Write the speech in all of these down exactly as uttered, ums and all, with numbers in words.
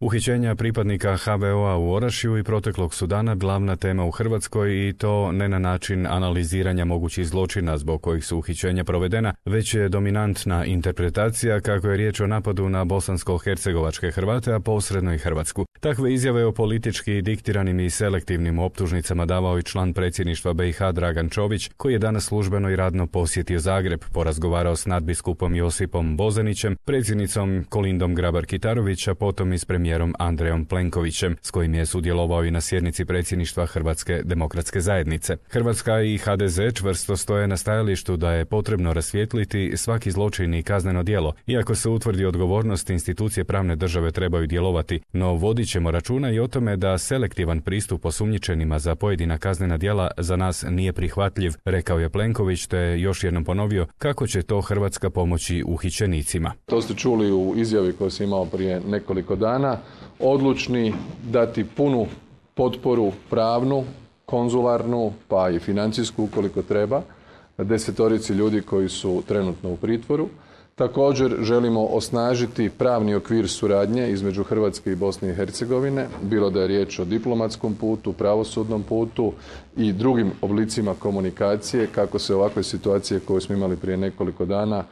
Uhićenja pripadnika ha ve o a u Orašju i proteklog su dana glavna tema u Hrvatskoj i to ne na način analiziranja mogućih zločina zbog kojih su uhićenja provedena, već je dominantna interpretacija kako je riječ o napadu na bosansko-hercegovačke Hrvate, a posredno i Hrvatsku. Takve izjave o politički diktiranim i selektivnim optužnicama davao i član predsjedništva be i ha Dragan Čović, koji je danas službeno i radno posjetio Zagreb, porazgovarao s nadbiskupom Josipom Bozanićem, predsjednicom Kolindom Grabar-Kitarović, a potom i s premijerom Andrejom Plenkovićem, s kojim je sudjelovao i na sjednici predsjedništva Hrvatske demokratske zajednice. Hrvatska i ha de ze čvrsto stoje na stajalištu da je potrebno rasvijetliti svaki zločin i kazneno djelo. Iako se utvrdi odgovornost, institucije pravne države trebaju djelovati, no vodit ćemo računa i o tome da selektivan pristup osumnjičenima za pojedina kaznena djela za nas nije prihvatljiv, rekao je Plenković, te još jednom ponovio kako će to Hrvatska pomoći uhićenicima. To ste čuli u izjavi koju sam imao prije nekoliko dana. Odlučni dati punu potporu pravnu, konzularnu, pa i financijsku ukoliko treba, desetorici ljudi koji su trenutno u pritvoru. Također želimo osnažiti pravni okvir suradnje između Hrvatske i Bosne i Hercegovine, bilo da je riječ o diplomatskom putu, pravosudnom putu i drugim oblicima komunikacije, kako se ovakve situacije koje smo imali prije nekoliko dana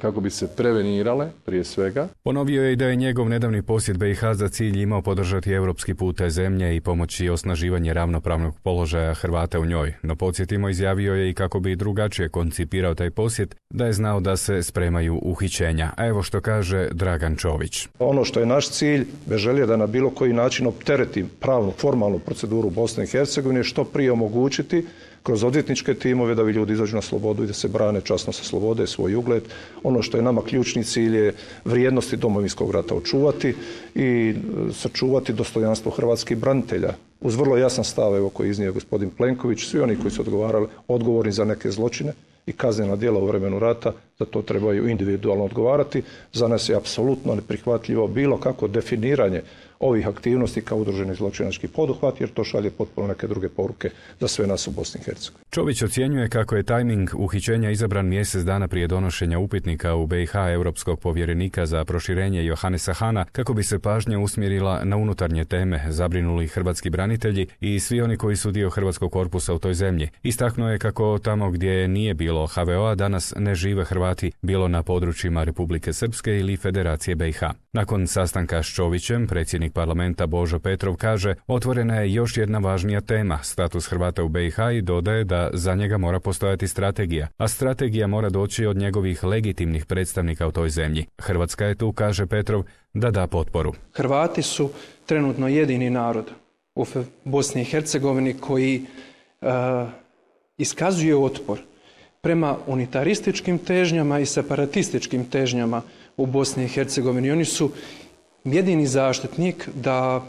kako bi se prevenirale prije svega. Ponovio je i da je njegov nedavni posjet be i ha za cilj imao podržati europski put te zemlje i pomoći osnaživanje ravnopravnog položaja Hrvata u njoj. No podsjetimo, izjavio je i kako bi drugačije koncipirao taj posjet, da je znao da se spremaju uhićenja. A evo što kaže Dragan Čović. Ono što je naš cilj, bez želje da na bilo koji način optereti pravnu, formalnu proceduru Bosne i Hercegovine, što prije omogućiti kroz odvjetničke timove da bi ljudi izađu na slobodu i da se brane časno sa slobode, svoj ugled. Ono što je nama ključni cilj je vrijednosti Domovinskog rata očuvati i sačuvati dostojanstvo hrvatskih branitelja. Uz vrlo jasan stav, evo, koji je iznio gospodin Plenković, svi oni koji su odgovarali, odgovorni za neke zločine i kaznena djela u vremenu rata, za to trebaju individualno odgovarati. Za nas je apsolutno neprihvatljivo bilo kako definiranje ovih aktivnosti kao udruženi zločinački poduhvat, jer to šalje potpuno neke druge poruke za sve nas u Bosni i Hercegovini. Čović ocjenjuje kako je tajming uhićenja izabran mjesec dana prije donošenja upitnika u be i ha europskog povjerenika za proširenje Johanesa Hana, kako bi se pažnja usmjerila na unutarnje teme zabrinuli hrvatski branitelji i svi oni koji su dio hrvatskog korpusa u toj zemlji. Istaknuo je kako tamo gdje nije bilo ha ve o a danas ne žive Hrvati, bilo na područjima Republike Srpske ili Federacije be i ha. Nakon sastanka s Čovićem, predsjednik parlamenta Božo Petrov kaže, otvorena je još jedna važnija tema, status Hrvata u be i ha, i dodaje da za njega mora postojati strategija, a strategija mora doći od njegovih legitimnih predstavnika u toj zemlji. Hrvatska je tu, kaže Petrov, da da potporu. Hrvati su trenutno jedini narod u Bosni i Hercegovini koji uh, iskazuje otpor prema unitarističkim težnjama i separatističkim težnjama u Bosni i Hercegovini. Oni su jedini zaštitnik da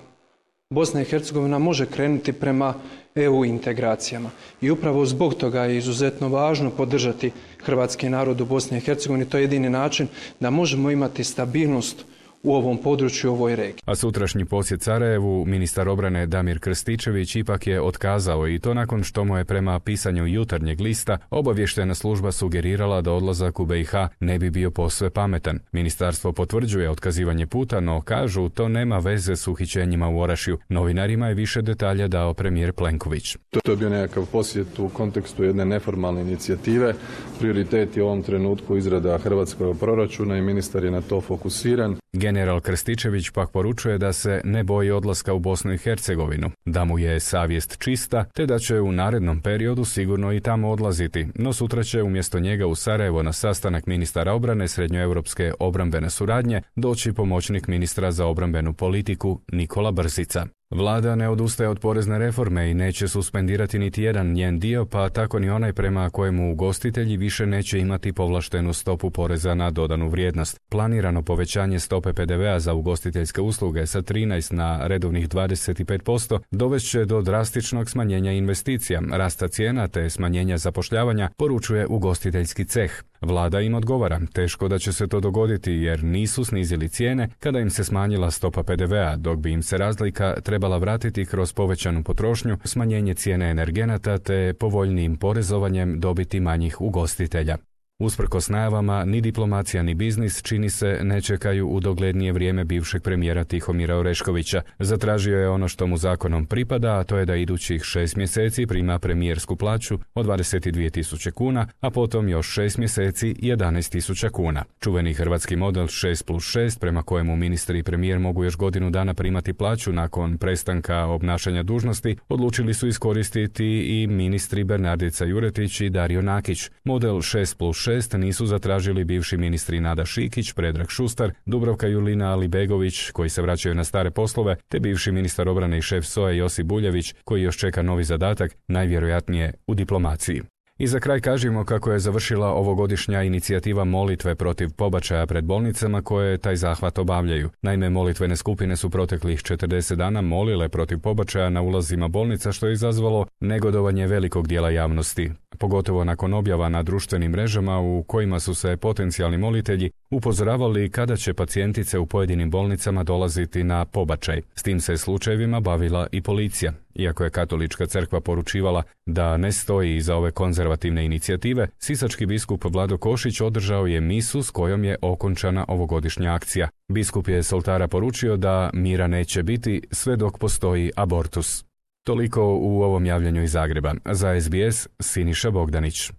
Bosna i Hercegovina može krenuti prema e u integracijama. I upravo zbog toga je izuzetno važno podržati hrvatski narod u Bosni i Hercegovini. To je jedini način da možemo imati stabilnost u ovom području, u ovoj regiji. A sutrašnji posjet Sarajevu ministar obrane Damir Krstičević ipak je otkazao, i to nakon što mu je prema pisanju Jutarnjeg lista obavještajna služba sugerirala da odlazak u be i ha ne bi bio posve pametan. Ministarstvo potvrđuje otkazivanje puta, no kažu to nema veze s uhićenjima u Orašju. Novinarima je više detalja dao premijer Plenković. To je bio nekakav posjet u kontekstu jedne neformalne inicijative. Prioritet je u ovom trenutku izrada hrvatskog proračuna i ministar je na to fokusiran. General Krstičević pak poručuje da se ne boji odlaska u Bosnu i Hercegovinu, da mu je savjest čista, te da će u narednom periodu sigurno i tamo odlaziti, no sutra će umjesto njega u Sarajevo na sastanak ministara obrane srednjoevropske obrambene suradnje doći pomoćnik ministra za obrambenu politiku Nikola Brzica. Vlada ne odustaje od porezne reforme i neće suspendirati niti jedan njen dio, pa tako ni onaj prema kojemu ugostitelji više neće imati povlaštenu stopu poreza na dodanu vrijednost. Planirano povećanje stope pe de ve a za ugostiteljske usluge sa trinaest na redovnih dvadeset pet posto dovest će do drastičnog smanjenja investicija, rasta cijena te smanjenja zapošljavanja, poručuje ugostiteljski ceh. Vlada im odgovara, teško da će se to dogoditi jer nisu snizili cijene kada im se smanjila stopa pe de ve a, dok bi im se razlika trebala vratiti kroz povećanu potrošnju, smanjenje cijene energenata te povoljnijim porezovanjem dobiti manjih ugostitelja. Usprkos najavama, ni diplomacija ni biznis, čini se, ne čekaju u doglednije vrijeme bivšeg premijera Tihomira Oreškovića. Zatražio je ono što mu zakonom pripada, a to je da idućih šest mjeseci prima premijersku plaću od dvadeset dvije tisuće kuna, a potom još šest mjeseci jedanaest tisuća kuna. Čuveni hrvatski model šest plus šest, prema kojemu ministri i premijer mogu još godinu dana primati plaću nakon prestanka obnašanja dužnosti, odlučili su iskoristiti i ministri Bernardica Juretić i Dario Nakić. Model šest plus šest nisu zatražili bivši ministri Nada Šikić, Predrag Šustar, Dubravka Julina Alibegović, koji se vraćaju na stare poslove, te bivši ministar obrane i šef S O A Josip Buljević, koji još čeka novi zadatak, najvjerojatnije u diplomaciji. I za kraj kažemo kako je završila ovogodišnja inicijativa molitve protiv pobačaja pred bolnicama koje taj zahvat obavljaju. Naime, molitvene skupine su proteklih četrdeset dana molile protiv pobačaja na ulazima bolnica, što je izazvalo negodovanje velikog dijela javnosti, pogotovo nakon objava na društvenim mrežama u kojima su se potencijalni molitelji upozoravali kada će pacijentice u pojedinim bolnicama dolaziti na pobačaj. S tim se slučajevima bavila i policija. Iako je Katolička crkva poručivala da ne stoji iza ove konzervativne inicijative, sisački biskup Vlado Košić održao je misu s kojom je okončana ovogodišnja akcija. Biskup je s oltara poručio da mira neće biti sve dok postoji abortus. Toliko u ovom javljanju iz Zagreba. Za S B S, Siniša Bogdanić.